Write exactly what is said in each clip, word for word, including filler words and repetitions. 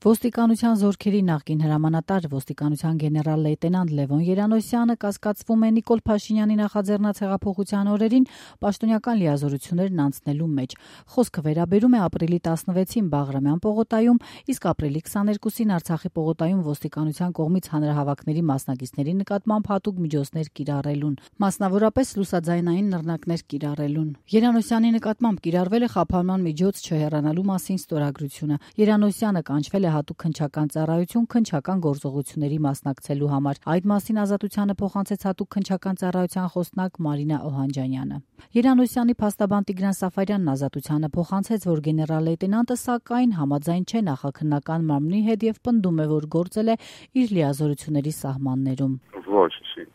Ոստիկանության զորքերի նախկին հրամանատար ոստիկանության գեներալ լեյտենանտ Լևոն Երանոսյանը կասկածվում է Նիկոլ Փաշինյանի նախաձեռնած հեղափոխության օրերին պաշտոնական լիազորություններն անցնելու մեջ։ Խոսքը վերաբերում է ապրիլի տասնվեցին Բաղրամյան պողոտայում, իսկ ապրիլի քսաներկուսին Արցախի պողոտայում ոստիկանության կողմից հանրահավաքների մասնակիցների նկատմամբ հատուկ միջոցներ կիրառելուն, մասնավորապես լուսաձայնային նռնակներ կիրառելուն։ Երանոսյանի նկատմամբ կիրառվել է խափանման միջոց չհեռանալու մասին ստորագրությունը։ Երանոսյանը կանչվել է հատուկ քննչական ծառայություն քննչական գործողությունների մասնակցելու համար։ Այդ մասին Ազատությանը փոխանցեց հատուկ քննչական ծառայության խոսնակ Մարինա Օհանջանյանը։ Երանոսյանի փաստաբան Տիգրան Սաֆարյանն Ազատությանը փոխանցեց, որ գեներալ լեյտենանտը սակայն համաձայն չէ նախաքննական մարմնի հետ եւ պնդում է, որ գործել է իր լիազորությունների սահմաններում։ Ոչ, չի։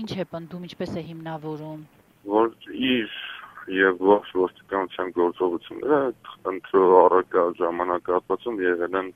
Ինչ է պնդում, ինչպես է հիմնավորում։ Որ իր եւ ողջ ոստիկանության գործողությունները ընտրող առարկա ժամանակահատվածում եղել են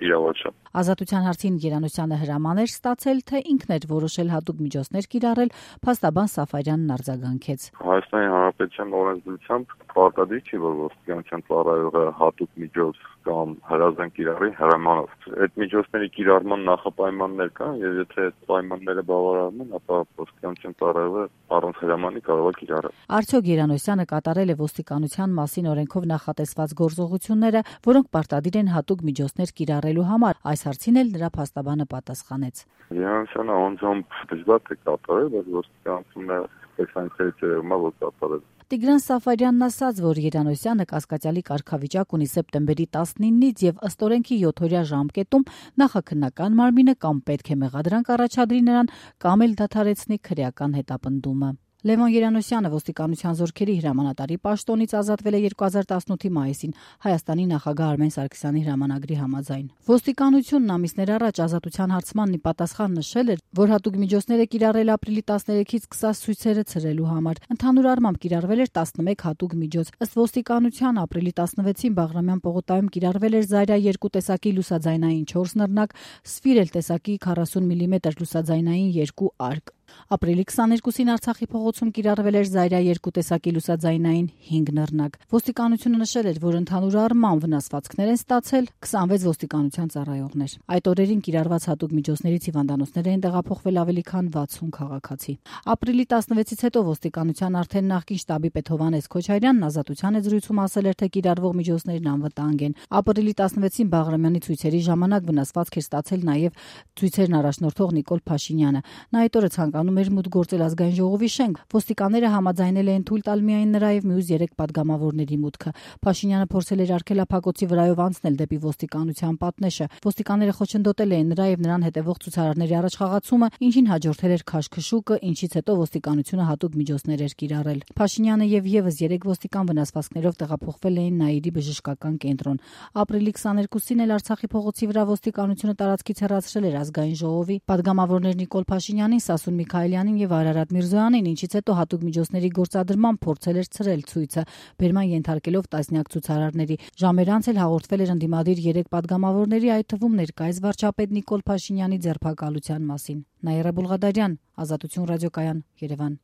իրավաչափ։ Ազատության հարցին Երանոսյանը հրաման էր ստացել, թե ինքն էր որոշել հատուկ միջոցներ կիրառել, փաստաբան Սաֆարյանն արձագանքեց։ Հայաստանի Հանրապետության օրենսդրությամբ պարտադիր չի, որ ոստիկանության ծառայողը հատուկ միջոց կամ հրազդան կիրառի հրամանով։ Այդ միջոցների կիրառման նախապայմաններ կան, եւ եթե այդ պայմանները բավարարվում են, ապա ոստիկանության ծառայողը առանց հրամանի կարող է կիրառել։ Արդյոք Երանոսյանը կատարել է ոստիկանության մասին օրենքով նախատեսված գործողությունները, որոնք պարտադիր են հատուկ միջոցներ կիրառելու համար։ Այս հարցին էլ նրա փաստաբանը պատասխանեց։ Երանոսյանը անձամբ դժվար է կատարել, բայց ոստիկանությունը տեսանյութերի ծերումա որ կատարել։ Տիգրան Սաֆարյանն ասաց, որ Երանոսյանը կասկածյալի կարգավիճակ ունի սեպտեմբերի տասնինից եւ ըստ օրենքի յոթօրյա ժամկետում նախաքննական մարմինը կամ պետք է մեղադրանք առաջադրի նրան, կամ էլ դադարեցնի քրեական հետապնդումը։ Լևոն Երանոսյանը ոստիկանության զորքերի հրամանատարի պաշտոնից ազատվել է երկու հազար տասնութի մայիսին Հայաստանի նախագահ Արմեն Սարգսյանի հրամանագրի համաձայն։ Ոստիկանությունն ամիսներ առաջ Ազատության հարցմանն ի պատասխան նշել էր, որ հատուկ միջոցներ է կիրառել ապրիլի տասներեքից սկսած ցույցերը ցրելու համար։ Ընդհանուր առմամբ կիրառվել էր տասնմեկ հատուկ միջոց։ Ըստ ոստիկանության ապրիլի տասնվեցին Բաղրամյան պողոտայում կիրառվել էր Զայրա երկու տեսակի լուսաձայնային չորս նռնակ, Սվիրել տեսակի քառասուն միլիմետր լուսաձայնային երկու արկ։ Ապրիլի քսաներկուսին Արցախի փողոցում կիրառվել էր Զայրա երկու տեսակի լուսաձայնային հինգ նռնակ։ Ոստիկանությունը նշել էր, որ ընդհանուր առմամբ վնասվածքներ են ստացել քսանվեց ոստիկանության ծառայողներ։ Այդ օրերին կիրառված հատուկ միջոցներից հիվանդանոցներ էին տեղափոխվել ավելի քան վաթսուն քաղաքացի։ Ապրիլի տասնվեցից հետո ոստիկանության արդեն նախկին շտաբի պետ Հովհաննես Քոչարյանն Ազատության զրույցում ասել էր, թե կիրառվող միջոցներն անվտանգ են։ Ապրիլի տասնվեցին Բաղրամյանի ցույցերի ժամանակ վնասվածք էր ստացել նաև ցույցերն առաջնորդող Նիկոլ Փաշինյանը։ Նա այդ օրը ցանկանում էր մուտք գործել ազգային ժողովի շենք։ Ոստիկանները համաձայնել էին թույլ տալ միայն նրա եւ մյուս երեք падգամավորների մուտքը։ Փաշինյանը փորձել էր արգելափակոցի վրայով անցնել դեպի ոստիկանության պատնեշը։ Ոստիկանները խոչընդոտել էին նրա եւ նրան հետևող ցուցարարների առաջխաղացումը, ինչին հաջորդել էր քաշքշուկը, ինչից հետո ոստիկանությունը հատուկ միջոցներ էր կիրառել։ Փաշինյանը եւ եւս երեք ոստիկան վնասվածքներով տեղափոխվել էին Նաիրի բժշկական կենտրոն։ Ապրիլի քսաներկուսին էլ Արցախի փողոցի վրա ոստիկանությունը տարածքից հեռացրել էր ազգային ժողովի падգամավորներ Նիկոլ Փաշինյանին, Սասուն Միքայելյանին եւ Արարատ Միրզոյանին, ինչից հետո հատուկ միջոցների գործադրման փորձել էր ցրել ցույցը, բերման ենթարկելով տասնյակ ցուցարարների։ Ժամեր անց էլ հաղորդվել էր ընդդիմադիր երեք падգամավորների, այդ թվում ներկայիս վարչապետ Նիկոլ Փաշինյանի ձերբակալության մասին։ Նաիրա Բուլղադարյան, Ազատություն ռադիոկայան, Երևան։